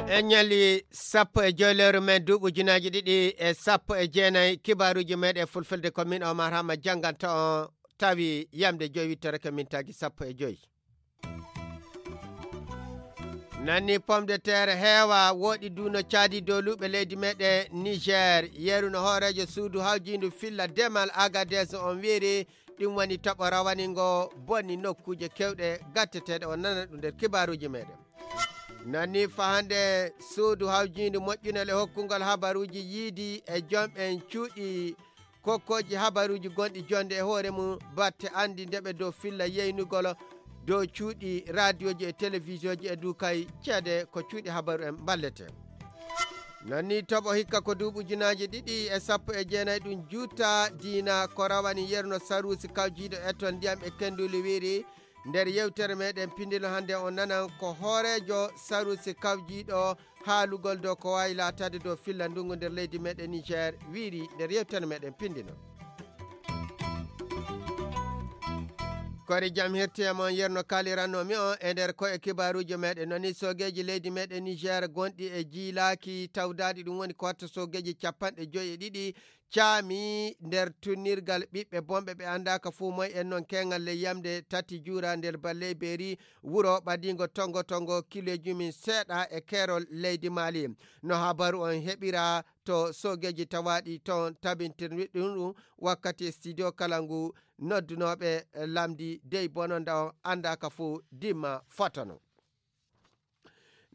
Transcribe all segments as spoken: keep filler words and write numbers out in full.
E ñalli sappo e joy lewru men duuɓi ujunaaji ɗiɗi e sappo e jeenayi, kibaaruuji meeɗen fulfulde ko min Omar Hama jannganta on, tawi yamde joyi wittorake mintaaji sappo e joy. Nanni pomme de terre heewa wooɗi duuno caadi dow luuɓe leydi meeɗen Niger, yeru no hooreejo suudu hawjiindu filla demal Agadez on wiiri, ɗum woni toɓo rawani ngo bonni nokkuuje kewɗe gatteteeɗe, on nana ɗum nder kibaaruuji meeɗen. Nanni fa hannde suudu hawjiindu moƴƴunal e hokkungol habaruuji yiidi e jom'en cuuɗi kokkooji habaruuji gonɗi jonde e hoore mum batte anndi ndeɓe dow filla yeynugol dow cuuɗi raadiyooji e telewisiyoji e duu kay ceede ko cuuɗi habaru en mballete. Nanni toɓo hikka ko duuɓi ujunaaji ɗiɗi e sappo e jeenayi ɗum juuta diina ko rawani yerno saruusi kawjiiɗo etton ndiyam e kenduli wiiri, nder yewtere meɗen pindino hannde on nanan ko hooreejo saruusi kawjiiɗo haalugol dow ko waawi laataade dow filla ndungu nder leydi meɗen Niger wiiri nder yewtere meɗen pindino. Kori jam hirti e mon yerno kaaliranno mi on e nder ko e kibaaruuji meɗen noni soogeeji leydi meɗen Niger gonɗi e jiilaaki tawdaadi ɗum woni ko watta soogeeji capanɗe joyi e ɗiɗi caami nder tunnirgal ɓiɓɓe bonɓe ɓe anndaaka fuu moy en noon keeŋal ley yamde tati juura nder balley beeri wuro ɓadiingo tongo tongo kiloji mum seeɗa e keerol leydi maali. No habaru on heɓira to soogeeji tawaaɗi toon tabintirɗi ɗum ɗum wakkati studio kala ngu noddunooɓe lamndi dey bononda on anndaaka fuu dimma fotono.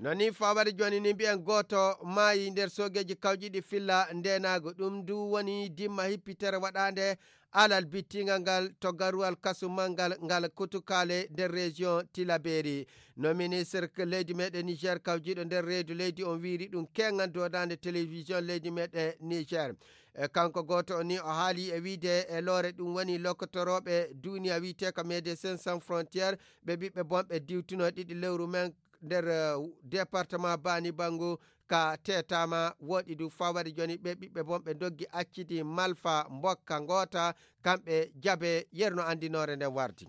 No nii fawade jooni ni mbiyen gooto maayi nder soogeeji kawjiɗi filla ndeenaagu ɗum ndu woni dimma hippitere waɗaande alal bittingal ngal to garuwal kasu manngal ngal kutukaale nder région Tilaberi. No ministre leydi meɗen Niger kawjiɗo nder reedu leydi on wiiri ɗum keeŋan doodaande télévision leydi meɗen Niger. E kanko gooto o ni o haali e wiide e loore ɗum woni lokkotorooɓe duniya wiiteeka Médecins Sans Frontières ɓe ɓiɓɓe bonɓe diwtuno ɗiɗi lewru men nder eh, département Bani Bangu ka tetama woɗi du fawade joni ɓe ɓiɓɓe bonɓe doggi accidi malfa mbokka ngoota kamɓe jabe yerno andinore nden wardi.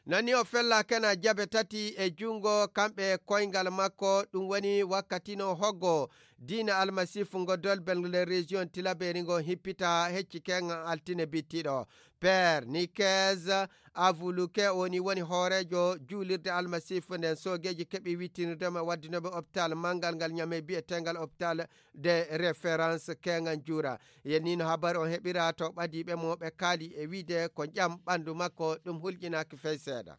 Nani o fella kena jabe tati e jungo kamɓe koyngal makko ɗum woni wakkati no hoggo diina almasifu ngo dolbel le région tilaberi ngo hippita hecci ken altine bittiɗo. Père Nikez Avuluke woni woni hooreejo juulirde almasifu nden soogeeji keɓi wittinirde mo waddinoɓe hôpital manngal ngal ñame biyetengal hôpital de référence keŋan juura. Yennino habar on heɓira to ɓadiiɓe mo ɓe kaali e wiide ko ƴam ɓanndu makko ɗum hulƴinaaki fey seeɗa.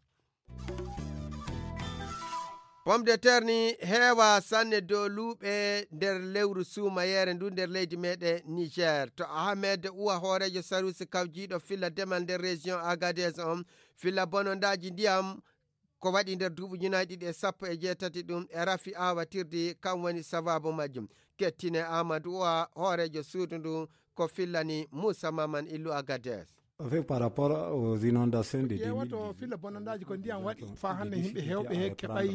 Pomme de terre ni heewa sanne dow luuɓe nder lewru suumayeere ndu nder leydi meɗen Niger. To Ahmed Uwa hooreejo sarusi kawjiiɗo filla demal nder région Agadez on filla bonondaaji ndiyam ko waɗi nder duuɓi ujunaaji ɗiɗi e sappo e jeetati ɗum e rafi awatirdi kam woni sababu majjum. Kettine Amadou Uwa hooreejo suudu ndu ko fillani Moussa Maman Illu Agadez. Avec par rapport aux inondations de ƴeewato filla bonondaaji ko ndiyam waɗi fa hannde yimɓe heewɓe he keɓay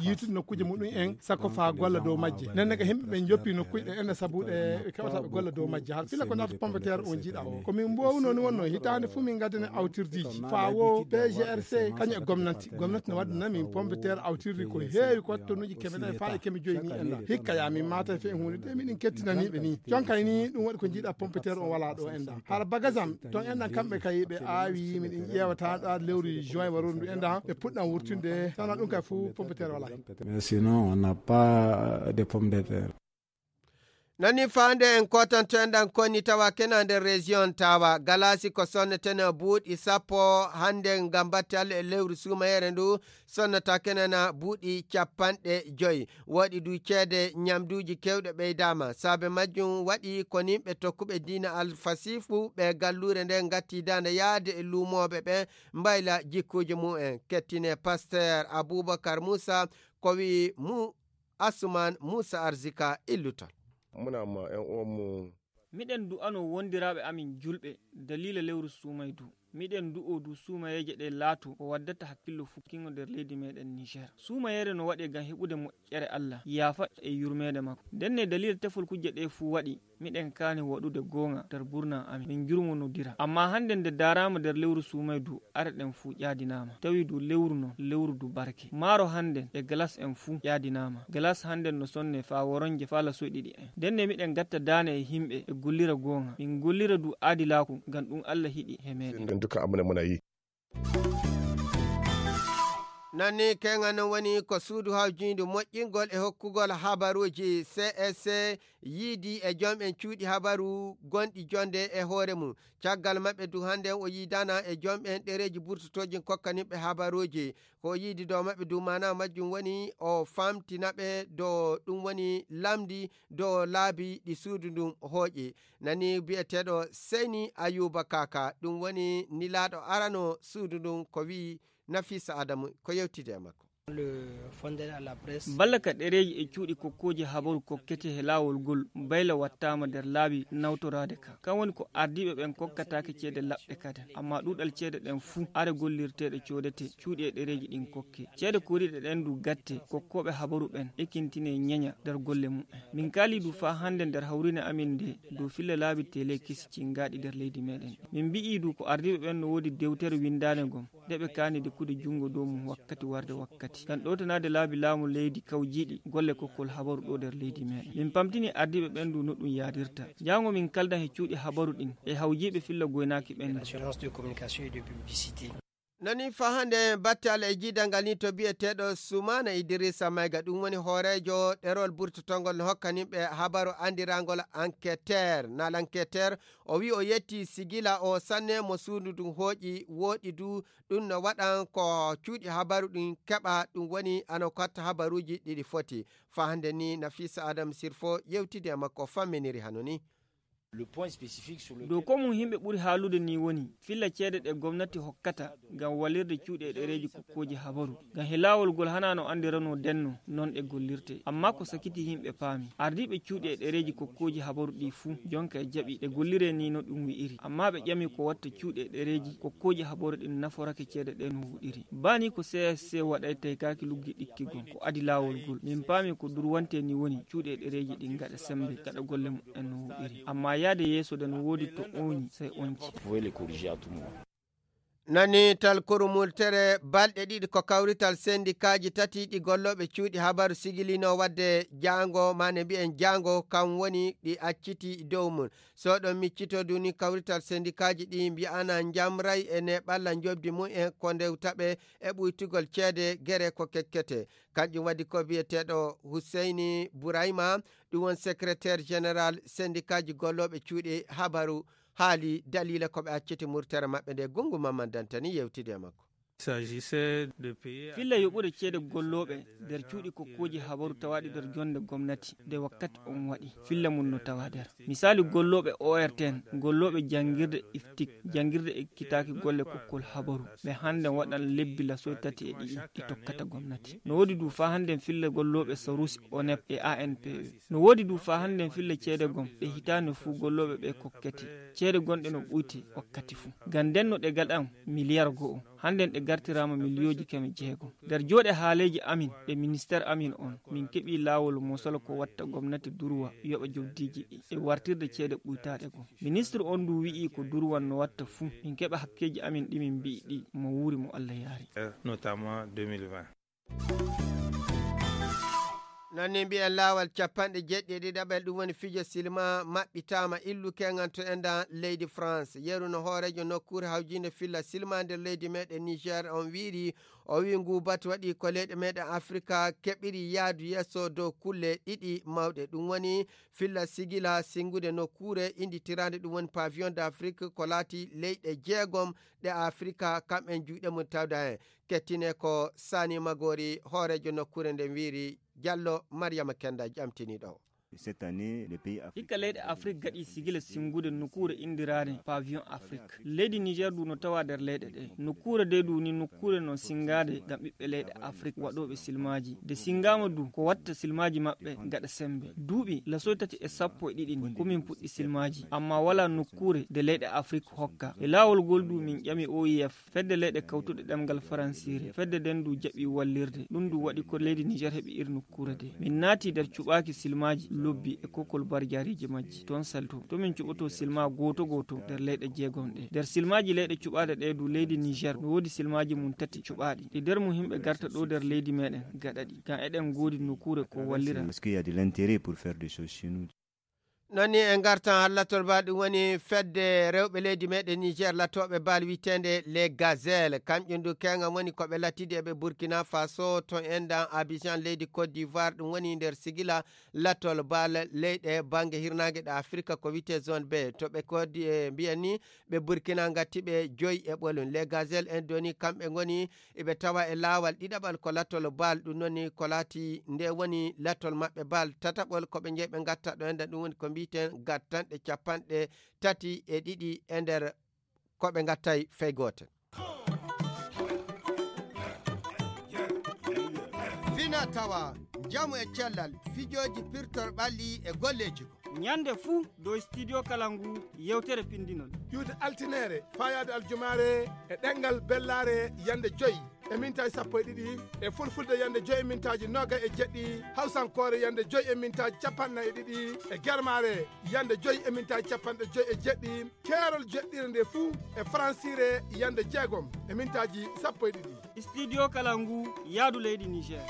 yiitude nokkuuje muɗum en sakko fa golla dow majje nenne ka yimɓe ɓe joppi nokkuuje ɗe ene sabuɗe ɓe keɓata ɓe golla dow majje har filla ko naata pomme de terre on jiiɗa o ko min mbowno ni wonno hitaande fof min ngaddane awtirdiiji fa wo pgrc kañum e gomnati gomnati no waddana min pomme de terre awtirdi ko heewi ko wattonuuji keme nayi fa e keme joyi ni en la hikka ya min mata fe huunde de miɗen kettinaniɓe ni jonkay ni ɗum waɗi ko jiiɗa pomme de terre on wala ɗo en da hara bagasam ton en ɗan kamɓe kay ɓe aawi miɗen ƴeewata ɗa lewru juin warondu en da ɓe puɗɗan wurtinde tana ɗum kay fof pomme de terre wala. Mais sinon on n'a pas de pomme de terre. Nani faande en kotanto en ɗan konni tawa kena nder région tawa galasi ko sonnetene buuɗi sappo hannde ngam batte allah e lewru suumayere ndu sonnata kenana buuɗi capanɗe joyi. Waɗi du ceede ñamduuji keewɗe ɓeydaama. Saabe majjum waɗi ko nimɓe tokkuɓe diina alfasifu ɓe galluure nde ngatti daande yaade e luumooɓe ɓe mbayla jikkuuji mumen. Kettine Pasteur Abubakar Musa ko wi'i mu Asuman Musa Arzika illutol. Muna ma en uwanmu. Miɗen du'anoo wondiraaɓe amin julɓe daliila lewru suumaydu. Miɗen du'oo du suumayeeje ɗe laatoo ko waddata hakkillo fukkingo nder leydi meɗen Niger. Suumayeere no waɗee ngam heɓude moƴƴere Allah, yaafa e yurmeende makko. Ndenne daliila tefol kujje ɗe fuu waɗi, miɗen kaani waɗude goonga nder burna amin, min jurmonodira. Amma hannde nde daaraama nder lewru suumay du, are ɗen fuu ƴaadinaama. Tawi du lewru non, lewru du barke. Maaro hannden e galas en fuu ƴaadinaama. Galas hannden no sonne faa woronje faa lasoy ɗiɗi en. Ndenne miɗen gatta daane e himɓe e gollira goonga. Min gollira du aadilaaku, ngam ɗum Allah hiɗi he meɗen. En tout cas, amune mona yi. Nanni keŋa non woni ko suudu hawjiindu moƴƴingol e hokkugol habaruuji C S C yiidi e joom en cuuɗi habaru gonɗi jonde e hoore mum. Caggal maɓɓe du hannden o yiidana e joom en ɗereeji burtotooji kokkaniɓe habaruuji. Ko o yiidi dow maɓɓe du maana majjum woni o famtina ɓe dow ɗum woni lamndi dow laabi ɗi suudu ndun hooƴi. Nani biyeteeɗo Seyni Ayuba Kaka, ɗum woni nilaaɗo arano suudu ndun ko wi'i Nafisa Adamu ko yewtide e makko. Balla ka ɗereeji e cuuɗi kokkooji habaru kokkete he laawol ngol bayla wattaama nder laabi nawtoraade ka. Kan woni ko ardiiɓe ɓen kokkataake ceede laɓɗe kaden. Amma ɗuuɗal ceede ɗen fuu are gollirteeɗe coodete cuuɗi e ɗereeji ɗin kokke. Ceede koriiɗe ɗen du gatte kokkooɓe habaru ɓen ekintine ñeña nder golle mumen. Min kaali du faa hannde nder hawrine amin nde dow filla laabi tele kesi cingaaɗi nder leydi meɗen. Min mbi'i du ko ardiiɓe ɓen no woodi dewtere winndaande ngon. Nde ɓe kaani dekkude junngo dow mum wakkati warde wakkati. Ngam ɗowtanaade laabi laamu leydi kawjiiɗi golle kokkol habaru ɗo nder leydi meɗen. Min pamtini ardiiɓe ɓen du no ɗum yaadirta. Jaango min kaldan he cuuɗi habaru ɗin e hawjiiɓe filla goynaaki ɓen du. Nani faa hannde batte Allah e jiidal ngal ni to biyeteeɗo Sumaana Idrissa Mayga, ɗum woni hooreejo ɗerol burtotongol no hokkanimɓe habaru anndiraangol Enquêteur, na L'Enquêteur. O wi'i o yetti sigila o sanne mo suudu ndun hooƴi, wooɗi du ɗum no waɗan ko cuuɗi habaru ɗin keɓa, ɗum woni ano katta habaruuji ɗiɗi foti. Faa hannde ni Nafisa Adam Sirfo yewtidi e makko famminiri hano ni. Dow ko mum yimɓe ɓuri haalude ni woni filla ceede ɗe gomnati hokkata ngam walirde cuuɗi e ɗereeji kokkooji habaru. Ngam he laawol ngol hanaa no anndiranoo denno non ɗe gollirte. Amma ko sakiti yimɓe paami. Ardiiɓe cuuɗi e ɗereeji kokkooji habaru ɗi fuu jonka e jaɓi ɗe golliree ni no ɗum wi'iri. Amma ɓe ƴami ko watta cuuɗi e ɗereeji kokkooji habaru ɗin naforake ceede ɗe no wuɗiri. Baa ni ko C S C waɗay taykaaki luggi ɗikki gon. Ko adi laawol ngol. Min paami ko durwante ni woni cuuɗi e ɗereeji ɗin gaɗa semmbe gaɗa golle mumen no wuɗiri. Amma yaade yeeso de no woodi to ooñi sey onci. Nani tal kurumultere balɗe ɗiɗi ko kawrital sendikaaji tati ɗi gollooɓe cuuɗi habaru sigilino wadde jaango, maane mbi'en jaango, kam woni ɗi acciti dow mum. So ɗon miccito duni kawrital sendikaaji ɗi mbi'ana njamray e neɓalla njoɓdi mumen ko ndewtaɓe e ɓuytugol ceede gere ko kekkete. Kanƴum waɗi ko biyeteeɗo Huseyni Burayma, ɗum won secrétaire général sendikaaji gollooɓe cuuɗi habaru, haali daliila ko ɓe acciti murtere maɓɓe nde. Gungu Mamman Dantani yewtidi e makko. Filla yoɓude ceede gollooɓe nder cuuɗi kokkooji habaru tawaaɗi nder jonde gomnati nde wakkati on waɗi. Filla mum no tawa nder. Misaalu gollooɓe O R T N, gollooɓe janngirde iftik, janngirde ekkitaaki golle kokkol habaru. Ɓe hannden waɗan lebbi lasoy tati e ɗiɗi ɗi tokkata gomnati. No woodi du faa hannden filla gollooɓe Sarusi, O N E P e A N P E. No woodi du faa hannden filla ceede gom ɗe hitaande fuu gollooɓe ɓe kokkete. Ceede gonɗe no ɓuyte wakkati fuu. Ngam nden no ɗe gaɗan miliyar go'o. Hannden ɗe gartiraama miliyooji keme jeegom. Nder jooɗe haaleeji amin e ministeer amin on, min keɓii laawol mosol ko watta gomnati durwa yoɓa jobdiiji ɗi e wartirde ceede ɓuytaaɗe gom. Ministir on du wi'ii ko durwan no watta fuu, min keɓa hakkeeji amin ɗi min mbi'i ɗi mo wuuri mo Allah yaari. Notamment deux mille vingt. Noon ni mbiyen laawol capanɗe jeeɗiɗi e ɗiɗaɓel, ɗum woni fijo silma maɓɓitaama illu keŋan to enɗan leydi France. Yeru no hooreejo nokkuure hawjiinde filla silma nder leydi meɗen Niger on wiiri, o wii ngu batu waɗi ko leyɗe meɗen Afrika keɓiri yaadu yeeso dow kulle ɗiɗi mawɗe. Ɗum woni filla sigila singude nokkuure innditiraande ɗum woni Pavillon d'Afrique ko laati leyɗe jeegom ɗe Afrika kamɓen juuɗe mum tawda heen. Kettine ko Sani Magori, hooreejo nokkuure nden wiiri. Jallo Mariama Kenda ƴamtini ɗo. Cette année, les pays africains. Hikka leyɗe Afrik gaɗi sigila singude nokkuure indiraade Pavillon Afrique. Leydi Niger du no tawa nder leyɗe ɗe. Nokkuure de du ni nokkuure no singaade ngam ɓiɓɓe leyɗe Afrik waɗooɓe silmaaji. De singaama du ko watta silmaaji maɓɓe gaɗa sembe. Duuɓi lasoy tati e sappo e ɗiɗi ni ko min puɗɗi silmaaji. Amma wala nokkuure de leyɗe Afrik hokka. E laawol gol du min ƴami O I F. Fedde leyɗe kawtuɗe ɗemngal faransiire, fedde nden ndu jaɓi wallirde. Ɗum ndu waɗi ko leydi Niger heɓi ir nokkuure de. Min naati nder cuɓaaki silmaaji lobbi e kokol barjaariiji majji. Toon salto. To min cuɓoto silma gooto gooto nder leyɗe jeegom ɗe. Nder silmaaji leyɗe cuɓaaɗe ɗe du leydi Niger no woodi silmaaji mum tati cuɓaaɗi. Ɗi nder mum yimɓe garta ɗo nder leydi meɗen gaɗa ɗi. Ngam eɗen ngoodi nokkuure ko wallira. Est-ce qu'il y a de l'intérêt pour faire des choses chez nous? Non ni en ngartan hallatol ba ɗum woni fedde rewɓe leydi meɗen Niger latooɓe bal wiyeteende les Gazelles. Kamƴum du keŋam woni ko ɓe latidi e ɓe Burkina Faso to enɗan Abidjan leydi Côte d'Ivoire. Ɗum woni nder sigila latol bal leyɗe bannge hirnaange ɗe Afirka ko wiyetee zone B. To ɓe Côte d'I-, e mbiyen ni ɓe Burkina ngatti ɓe joyi e ɓolum. Les Gazelles en doni kamɓe ngoni eɓe tawa e laawal ɗiɗaɓal ko latol bal, ɗum noon ni ko laati nde woni latol maɓɓe bal tataɓol ko ɓe njeyi ɓe ngatta ɗo enda ɗum woni ko mbiyeten gattanɗe capanɗe tati e ɗiɗi e nder ko ɓe ngattay fey gootel. Fina tawa njamu e cellal fijooji pirtor ɓalli e golleeji. Ñande fuu dow Studio Kalangu yewtere pinndinol. Ƴuwde altineere, faayaade aljumaare e ɗemngal bellaare yande joyi e mintaaji sappo e ɗiɗi, e fulfulde yande joyi e mintaaji noogay e jeɗɗi, hawsankoore yande joyi e mintaaji capanɗe nayi e ɗiɗi, e germaare yande joyi e mintaaji capanɗe joyi e jeɗɗi, keerol jeɗɗire nde fuu e faransiire yande jeegom e mintaaji sappo e ɗiɗi. Studio Kalangu, yaadu leydi Niger.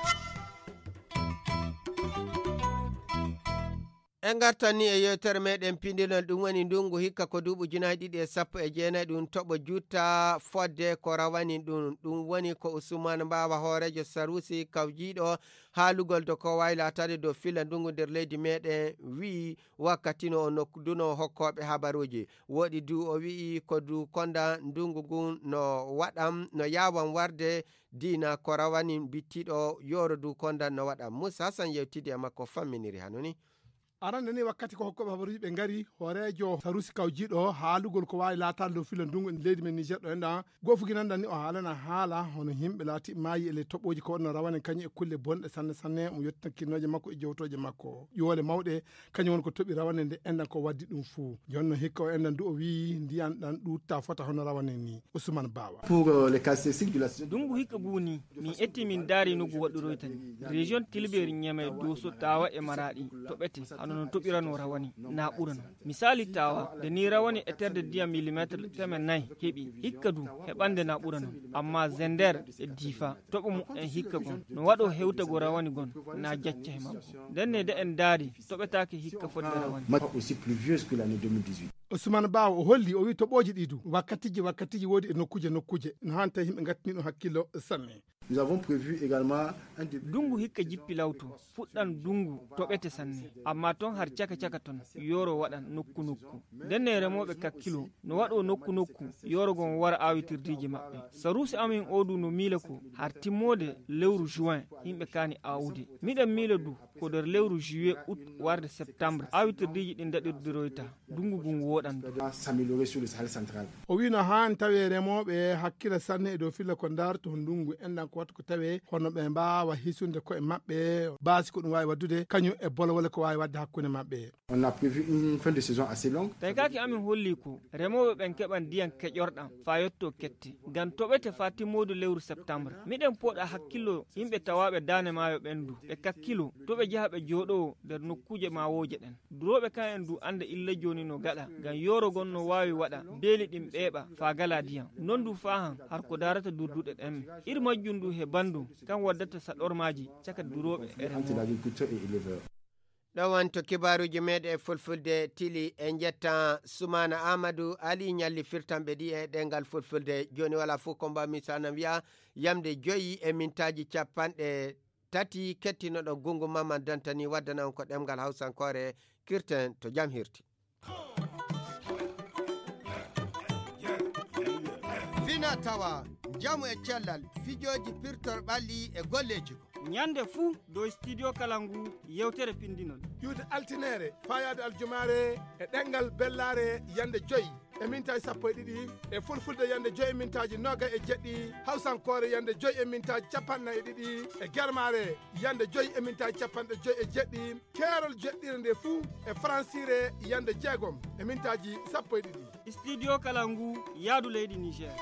En ngartan ni e yewtere meɗen pindinol, ɗum woni ndungu hikka ko duuɓi ujunaaji ɗiɗi e sappo e jeenayi, ɗum toɓo jutta fodde ko rawani ɗum. Ɗum woni ko Usman Mbawa, hooreejo Sarusi kawjiiɗo haalugol dow ko waawi laataade dow filla ndungu nder leydi meɗen, wi'i wakkati no o nokkuduno hokkooɓe habaruuji. Woɗi du o wi'i ko du konda ndungu ngun no waɗan, no yaawan warde diina ko rawani bittiɗo yooro du konda no waɗan. Musa Hassan yewtidi e makko famminiri hano ni. Arande ni wakkati ko hokkooɓe habaruuji ɓe ngari, hooreejo Sarusi kawjiiɗo haalugol ko waawi laataade dow filo ndungu e leydi men Niger ɗo enɗan, goofuginanɗan ni o haalana haala hono yimɓe laati maayi e ley toɓooji ko waɗno rawane kañum e kulle bonɗe sanne sanne, mo yettinakkinnooje makko e jowtooje makko. Ƴuwole mawɗe kañum woni ko toɓi rawane nde enɗan ko waddi ɗum fuu. Jooni no hikka o enɗan du o wi'i ndiyan ɗan ɗuutta fota hono rawane ni. Usman Bawa. Pour, euh, les caractéristiques de la saison. Ndungu hikka guu ni, min etti min ndaari no ngu waɗɗiroyta ni. Région Tilbeeri, Ñamey, Dooso, Taawa e Maraaɗi toɓete, hano no toɓirano rawani, na ɓurano. Misaali Taawa, nde ni rawani e terde ndiyam millimetre teme nayi heɓi, hikka du heɓande na ɓurano. Amma Zender e Diifa, toɓo mu'en hikka gon, no waɗo hewtago rawani gon, na jacca he makko. Nden ne de en ndaari, toɓetaake hikka fodde rawani. Match aussi pluvieuse que l'année deux mille dix-huit. Ousmane Bawo o holli, o wi toɓooji ɗi du, wakkatiji, wakkatiji woodi e nokkuje, nokkuje. No haani tawi yimɓe ngattini ɗum hakkillo sanne. Nous avons prévu également un début. Dungu hikka jippi lawto, fuɗɗan dungu toɓete sanne. Amma ton har caka caka ton, yoro waɗan nokku nokku. Nden ne remooɓe kakkilo, no waɗo nokku nokku, yoro gon wara awitirdiiji maɓɓe. Saruusi amin oo du no miila ko, har timmoode lewru juin, yimɓe kaani awude. Miɗen miila du, ko nder lewru juillet, août, warde septembre, awitirdiiji ɗin daɗirdiroyta. Dungu gun woɗan. S'améliorer sur le Sahel central. O wi no haani tawe remooɓe hakkila sanne e dow filla ko ndaarto ndungu enɗan ko watta ko tawe hono ɓe mbaawa hisunde ko'e maɓɓe, baasi ko ɗum waawi waddude, kañum e bolowole ko waawi wadde hakkunde maɓɓe. On a prévu une fin de saison assez longue. Tawi kaaki amin holli ko remooɓe ɓen keɓan ndiyan keƴorɗan faa yotto kette, ngam toɓete faa timmoodu lewru septembre. Miɗen pooɗa hakkillo yimɓe tawaaɓe daane maayo ɓen du, ɓe kakkilo, to ɓe njaha ɓe jooɗowo nder nokkuuje maawooje ɗen. Durooɓe kan en du annda illa jooni no gaɗa, ngam yooro gon no waawi waɗa beeli ɗin ɓeeɓa faa gala ndiyan. Non du faa han har ko daarata durduɗe ɗen. Ir majjum du he banndum kan waddata saɗormaaji caka durooɓe e remooɓe. Entre l'agriculteur et éleveur. Ɗon woni to kibaaruuji meeɗen e fulfulde tili. En njettan Sumaana Aamadu Ali ñalli firtanɓe ɗi e ɗemngal fulfulde. Jooni wala fof ko mbaawmi so anan wiya yamde joyi e mintaaji capanɗe tati kettinoɗo gungu Maman Dantani waddana on ko ɗemngal hawsankoore. Kirten to jam hirti. Fina tawa, njamu e cellal, fijooji pirtor ɓalli e golleeji ko. Ñande fuu dow Studio Kalangu yewtere pinndinol. Ƴuwde altineere faayaade aljumaare e ɗemngal bellaare yande joy e mintaaji sappo e ɗiɗi, e fulfulde yande joy e mintaaji noogay e jeɗɗi, hawsankoore yande joy e mintaaji capanɗe nayi e ɗiɗi, e germaare yande joy e mintaaji capanɗe joy e jeɗɗi, keerol jeɗɗire nde fuu e faransiire yande jeegom e mintaaji sappo e ɗiɗi. Studio Kalangu, yaadu leydi Niger.